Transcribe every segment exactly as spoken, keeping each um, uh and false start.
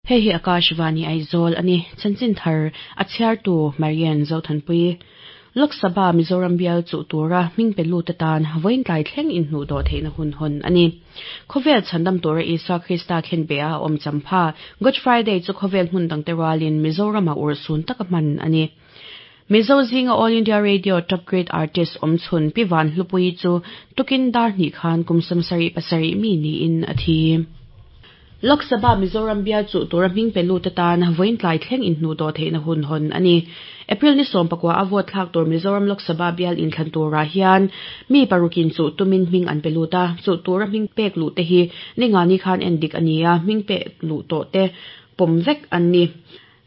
Hei hi Akashvani Aizawl ani chanchin thar a chhiartu Marian Zothanpui Lok Sabha Mizoram bial chu tura hming pe lut atan vawiin tlai thleng inhnuh dawh theihna hun hawn ani. Khawvel chhandam tura Isua Krista khen be a awm champha Good Friday chu khawvel hmun dangte rualin Mizorama urhsun taka hman ani. Mizo zinga All India Radio Top Grade Artist awmchhun Pi Vanhlupuii chu tukin dar hnih khan kum sawmsarih pasarih mi niin a thi. Lok Sabha Mizoram bial chu tura hming pe lut atan vawiin tlai thleng inhnuh dawh theihna hun hawn ani. April ni sawm pakua a vote thlak tur Mizoram Lok Sabha bial inthlan turah hian mi parukin chu tumin hming an pe lut a, chu tura hming pek luh te hi ningani khan en dik ani a, hming pek luh tawh te pawm vek an ni.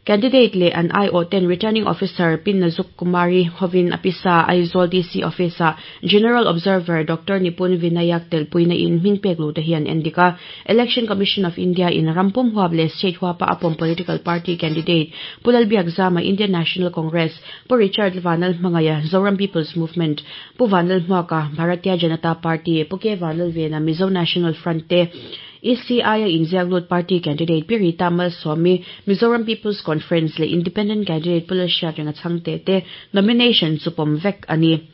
Candidate leh an aiawh ten Returning Officer Pi Nazuk Kumari hovin a pisa Aizawl D C Office ah General Observer Doctor Nipun Vinayak telpuina in hming pek luh te hi an en dik a. Election Commission of India in rampum huap leh state huapa a pawm political party candidate Pu Lalbiakzama Indian National Congress, Pu Richard Vanlal Hmangaiha Zoram People's Movement, Pu Vanlal Hmuaka Bharatiya Janata Party, Pu K Vanlal Vena Mizo National Front te E C I a inziak lut party candidate Pi Rita Malsawmi Mizoram People's Conference leh Independent candidate Pu Lalhriat renga chhangte te nomination chu pawm vek ani.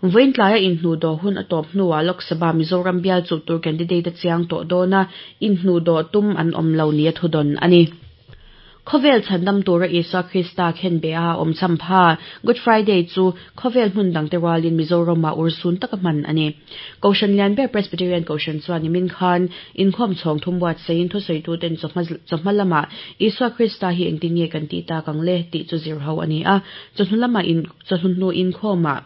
Vawiin tlaia inhnuh dawh hun a tawp hnuah Lok Sabha Mizoram bial chu tur candidate a chiang tawh dawn a, inhnuh dawh tum an awm lo ni a thudawn ani. Khawvel chhandam tura Isua Krista khen be a awm champha Good Friday chu khawvel hmun dangte rualin Mizorama urhsun taka hman ani. Kohhran lian ber Presbyterian Kohhran chuan nimin khan inkhawm chhawng thum buatsaih in thusawitu ten chawhma lamah Isua Krista hi engtin nge kan tih tak ang le tih chu zir ho ani a, chawhnu lamah in chawhnu inkhawmah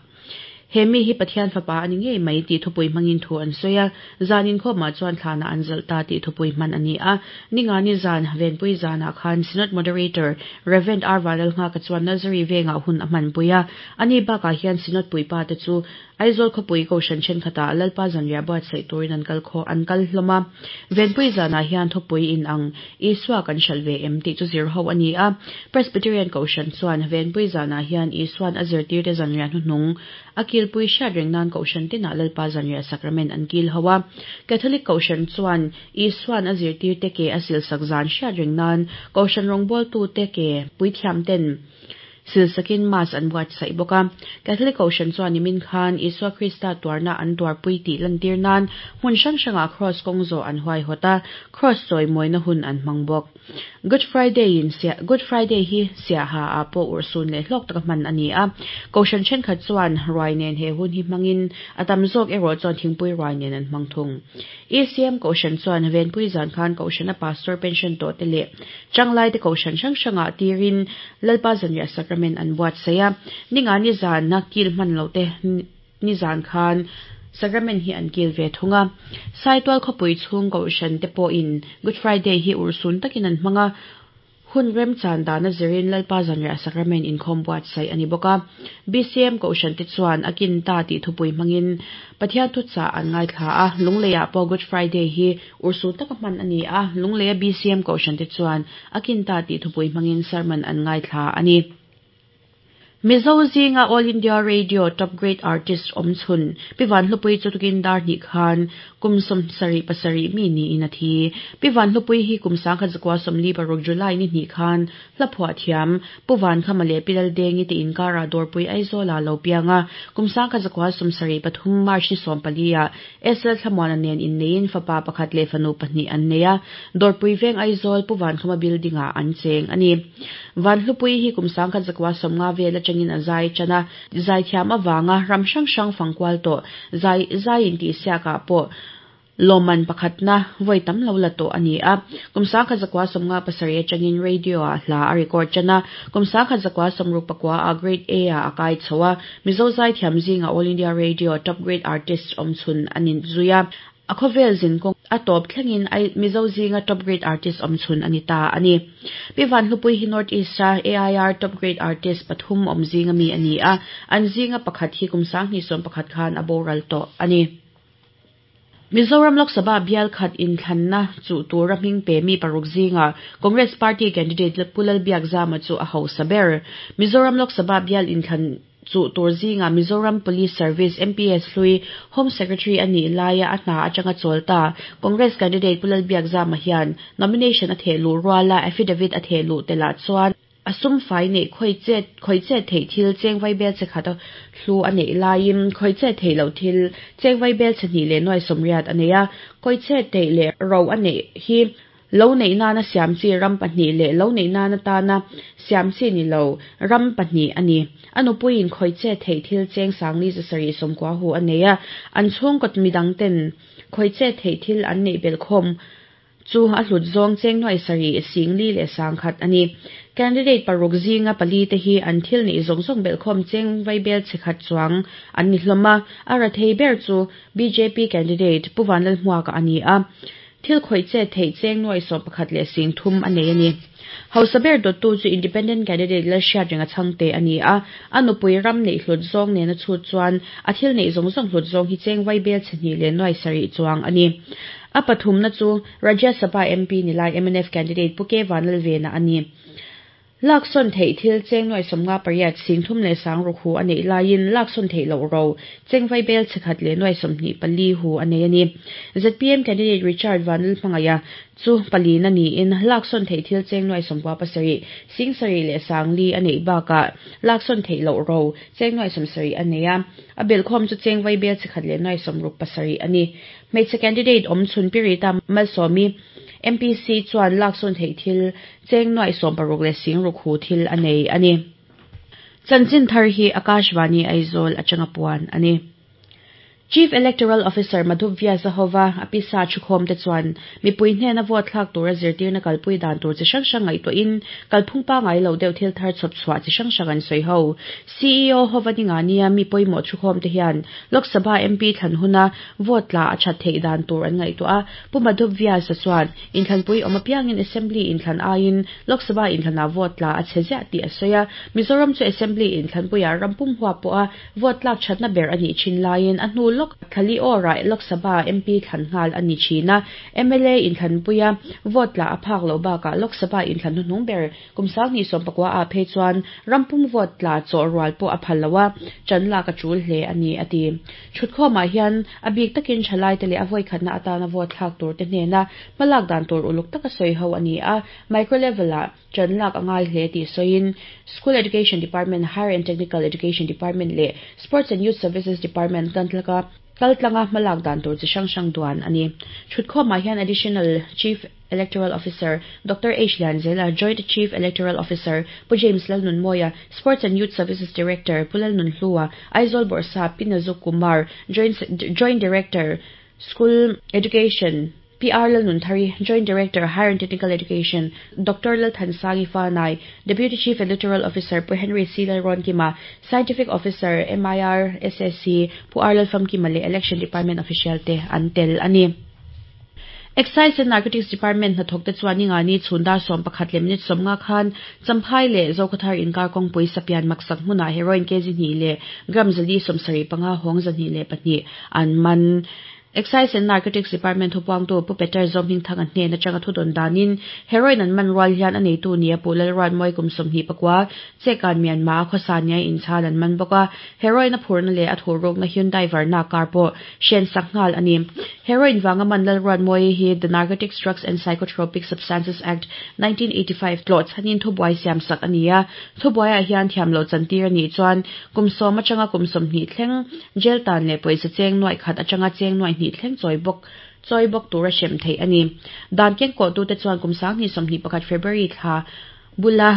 he mi hi Pathian fapa ani ngei mai tih thupui hmangin thu an sawi a, zan inkhawmah chuan thlana an zalh ta tih thupui hman ani a. Ningani zan Venpui zanah khan Synod Moderator Reverend R Vanlalnghaka chuan Nursery vengah hun a hmanpui a, ani bakah hian Synod puipa te chu Aizawl khawpui Kohhran thenkhatah Lalpa zanriah buatsaih turin an kal khaw an kal hlawm a. Venpui zanah hian thupui in ang Isua kan hralh ve em tih chu zir ho ani a. Presbyterian Kohhran chuan Venpui zanah hian Isuan a zirtirte zanriah hnuhnung a kilpui hriat reng nan Kohhran tinah Lalpa zanriah sacrament an kil ho a. Catholic Kohhran chuan Isuan a zirtirte ke a silsak zan hriat reng nan Kohhran rawngbawltu te ke puithiam ten silsakin mass an buatsaih bawk a. Catholic Kohhran chuan nimin khan Isua Krista tuarna an tuarpui tih lantir nan hmun hrang hrangah cross kawng zawh an huai hawt a, cross chawi mawina hun an hmang bawk. Good Friday in Good Friday hi siaha ah pawh urhsun leh hlawk taka hman ani a. Kohhran thenkhat chuan ruai nen he hun hi hmangin a tam zawk erawh chuan thingpui ruai nen an hmang thung. E C M Kohhran chuan Venpui zan khan Kohhran a pastor pension tawh te leh changlai te Kohhran hrang hrangah tirin Lalpa zanriah sacrament an buatsaih a. Ningani zan na kil hman lo te ni zan khan sacrament hi an kil ve thung a. Saitual khawpui chhung Kohhran te pawhin Good Friday hi urhsun takin an hmang a, hun rem chan dana zirin Lalpa zanriah sacrament inkhawm buatsaih ani bawk a. B C M Kohhran te chuan a kin ta tih thupui hmangin Pathian thuchah an ngaithla a, lungleiah pawh Good Friday hi urhsun taka hman ani a, lungleia B C M Kohhran te chuan a kin ta tih thupui hmangin sermon an ngaithla ani. Mizo zinga All India Radio Top Grade Artist awmchhun Pi Vanhlupuii chu tukin dar hnih khan kum sawmsarih pasarih mi niin a thi. Pi Vanhlupuii hi kum sangkhat zakua sawmli paruk July ni hnih khan hlaphuah thiam Pu Vankhama leh Pi Laldengi te inkara Dawrpui Aizawla lo pianga kum sangkhat zakua sawmsarih pathum March ni sawm pali ah S L Thlamuana nen inneiin fapa pakhat leh fanu pahnih an nei a, Dawrpui veng Aizawl Pu Vankhama building ah an cheng ani. Vanhlupuii hi kum sangkhat zakua sawmnga vel atangin a zai chana zai thiam awanga ram hrang hrang fangkual tawh zai zai in tih siakah pawh lawman pakhatna vawi tam lo la tawh ani a. Kum sangkhat zakua sawmnga pasarih atangin radio ah hla a record chana kum sangkhat zakua sawmruk pakua a grade A ah a kai chho a. Mizo zai thiam zinga All India Radio Top Grade Artist awmchhun anin zuia. A khawvel zin kawng a tawp thlengin Mizo zinga Top Grade Artist awmchhun ani ta ani. Pi Vanhlupuii hi North East a A I R Top Grade Artist pathum awm zinga mi ani a, an zinga pakhat hi kum sanghnih sawm pakhat khan a boral tawh ani. Mizoram Lok Sabha bial khat inthlanna chu tura hming pe mi paruk zinga Congress Party candidate Pu Lalbiakzama chu a hausa ber. Mizoram Lok Sabha bial inthlan Chu tur zinga Mizoram Police Service M P S hlui Home Secretary ani laia a hna atanga chawlta Congress candidate Pu Lalbiakzama hian nomination a thehluh ruala affidavit a thehluh telah chuan a sum fai nei khoi che khoi che thei thil cheng vai bel che khat hlu a nei laiin khoi che thei lo thil cheng vai bel che hnih leh nuai sawmriat a nei a khoi che thei leh ro a nei hi lo nei nana siam chi ram pahnih leh lo nei nana tana siam chi ni lo ram pahnih ani anupuiin khoi che thei thil cheng sangli zasari sawmkua hu a nei a an chhungkaw midang ten khoi che thei thil an nei bel khawm chu a hlut zawng cheng nuai sarih singli leh sangkhat ani candidate paruk zinga pali te hi an thil nei zawng zawng bel khawm cheng vai bel chekhat chuang an ni hlawma a ra thei ber chu B J P candidate Pu Vanlalhmuaka ani a thil khoi che thei cheng nuai sawm pakhat leh sing thum a nei ani Hausaber dottu chu independent candidate la hriat ringa changte ani a anupui ram nei hlut zawng nena chhut chuan a thil nei zawng zawng hlut zawng hi cheng vai bel chhnih leh nuai sarih chuang ani a pathumna chu Rajya Sabha M P nilai M N F candidate Pu K Vanlalvena ani Lakson thei thil cheng nuai sawmnga pariat sing thum leh sang ruk hu a nei laiin lakson thei lo ro cheng vai bel chekhat leh nuai sawmhnih pali hu a nei ani Z P M candidate Richard Vanlalhmangaya chu palina niin lakson thei thil cheng nuai sawmkua pasarih sing sarih leh sangli a nei bakah lakson thei lo ro cheng nuai sawmsarih a nei a a belkhawm chu cheng vai bel chekhat leh nuai sawmruk pasarih ani hmeichhe candidate awm chhun Pirita Malsawmi M P C chuan lakson thei thil cheng nuai sawm paruk leh sing ruk hu thil a nei ani chanchin thar hi Akashvani Aizawl atanga puan ani Chief Electoral Officer Madhu Vyasa hova apisa thukhawm te chuan mipui hnena vote thlak tura zirtirna kalpui dan tur chi hrang hrang ngaihtuah in kalphung pangai lo deuh thil thar chhawp chhuah chi hrang hrang an sawi ho C E O hova ninga nia mi pawimawh thukhawm te hian Lok Sabha M P thlan huna vote tla a that theih dan tur an ngaihtuah a Pu Madhu Vyasa chuan inthlanpui awm apiangin Assembly inthlan aiin Lok Sabha inthlana vote tla a che ziah tih a sawi a Mizoram chu Assembly inthlanpuiah rampum hua pawh a vote tlak thatna ber a nih thin laiin a hnu lok thali ora Lok Sabha M P thlan nghal ani thina M L A inthlanpuia vote tla a phak lo bakah Lok Sabha inthlan hnuhnung ber kumsang ni sawm pakua a phei chuan rampum vote tla chaw rual pawh a phal loa chanla ka chul hle ani ati thutkhawmah hian a bik takin thalai te leh a vawi khatna atana vote thlak tur te hnena hmalak dan tur uluk taka sawi ho ani a micro level ah chanlak angai hle tih sawiin School Education Department Higher and Technical Education Department leh Sports and Youth Services Department kan tlaka kaltlanga hmalak dan tur chi hrang hrang duan ani thutkhawmah hian Additional Chief Electoral Officer Doctor H Lianzela Joint Chief Electoral Officer Pu James Lalnunmawia Sports and Youth Services Director Pu Lalnunhlua Aizawl Bawrhsap Pinazuk Kumar Joint Joint Director School Education P R Lalnunthari Joint Director Higher and Technical Education Doctor Lalthansangi Fanai Deputy Chief Electoral Officer Pu Henry C Lalronkima Scientific Officer M I R S S C Pu R Lalfamkima leh Election Department official te an tel ani Excise and Narcotics Department hnathawk te chuan ninga ni chhun dar sawm pakhat leh minute sawmnga khan Champhai leh Zokhawthar inkar kawngpui sapian maksak hmunah heroin kg hnih leh gram zali sawmsarih panga hawng zahnih leh pahnih an man Excise and Narcotics Department thupuangtu Pu Peter Zawmhmingthang a hnena atanga thudun danin heroin an man rual hian a neitu nia Pu Lalruatmawi kum sawmhnih pakua chekan Myanmar khawsa nia inchhal an man bawk a heroin a phurna leh a thurukna Hyundai Verna car pawh hren sak nghal ani heroin wanga man Lalruatmawi hi The Narcotics Drugs and Psychotropic Substances Act nineteen eighty-five tlawh chhanin thubuai siam sak ani a thubuaiah hian thiam lo chantir ani chuan kum sawm atanga kum sawmhnih thleng jail tan leh pawisa cheng nuai khat atanga cheng nuai hnih thleng chawi bawk chawi bawk tura hrem theih ani dan keng kawh tu te chuan kum sanghnih sawmhnih pakhat February thla bula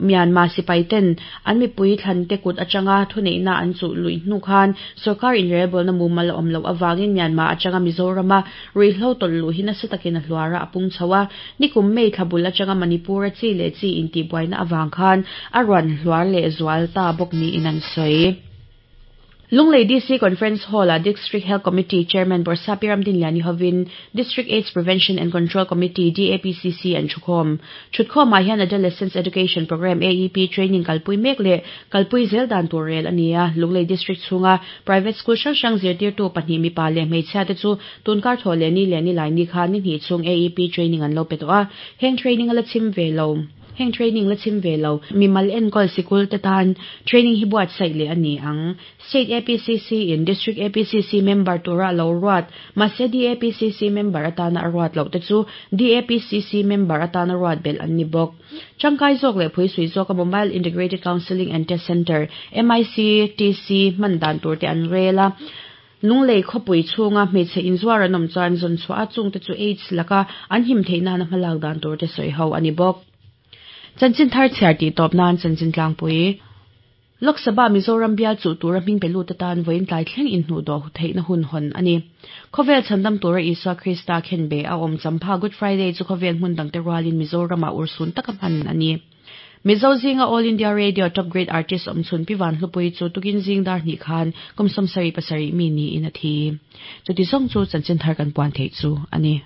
Myanmar sipai ten an mipui thlan te kut atanga thuneihna an chu lui hnu khan sarkar inrelbawlna mumal a awm loh awangin Myanmar atanga Mizorama ruihhlo tawlh luh hi nasa takin a hluara a pung chho a nikum May thla bul atanga Manipur a chi leh chi intihbuaina awang khan a rawn hluar leh zual ta bawk niin an sawi Lunglei D C Conference Hall a District Health Committee Chairman Bawrhsap Ramdin Liani hovin District AIDS Prevention and Control Committee D A P C C an thukhawm thutkhawmah hian Adolescents Education Program A E P training kalpui mek leh kalpui zel dan tur rel ani a Lunglei District chhunga private school hrang hrang zirtirtu pahnih mipa leh hmeichhia te chu tunkar thaw leh ni leh ni lai ni khan ni hnih chhung A E P training an lo pe tawh a heng training a la chim ve lo Heng training la chhim ve lo mimal enkawl sikul te tan training hi buatsaih leh a ni ang. State A P C C in District A P C C member tura lo ruat, mahse D A P C C member atana a ruat loh te chu D A P C C member atana ruat belh an ni bawk. Tangkai zawk leh phuisui zawka Mobile Integrated Counselling and Test Centre, M I C T C, hman dan tur te an rel a. Lunglei khawpui chhunga hmeichhe inzuar an awm chuan zawn chhuah a chungte chu AIDS laka an him theih nana hmalak dan tur te sawi ho a ni bawk. Chanchin thar chhiar tih tawp nan chanchin tlangpui. Lok Sabha Mizoram bial chuh tura hming pe lut atan vawiin tlai thleng inhnuh dawh theihna hun hawn a ni. Khawvel chhandam tura Isua Krista khenbeh a awm champha Good Friday chu khawvel hmun dangte rualin Mizoramah urhsun taka hman a ni. Mizo zinga All India Radio Top Grade Artist awmchhun Pi Vanhlupuii chu tukin zing dar hnih khan kum sawmsarih pasarih mi niin a thi. Chuti zawng chu chanchin thar kan puan theih chu a ni.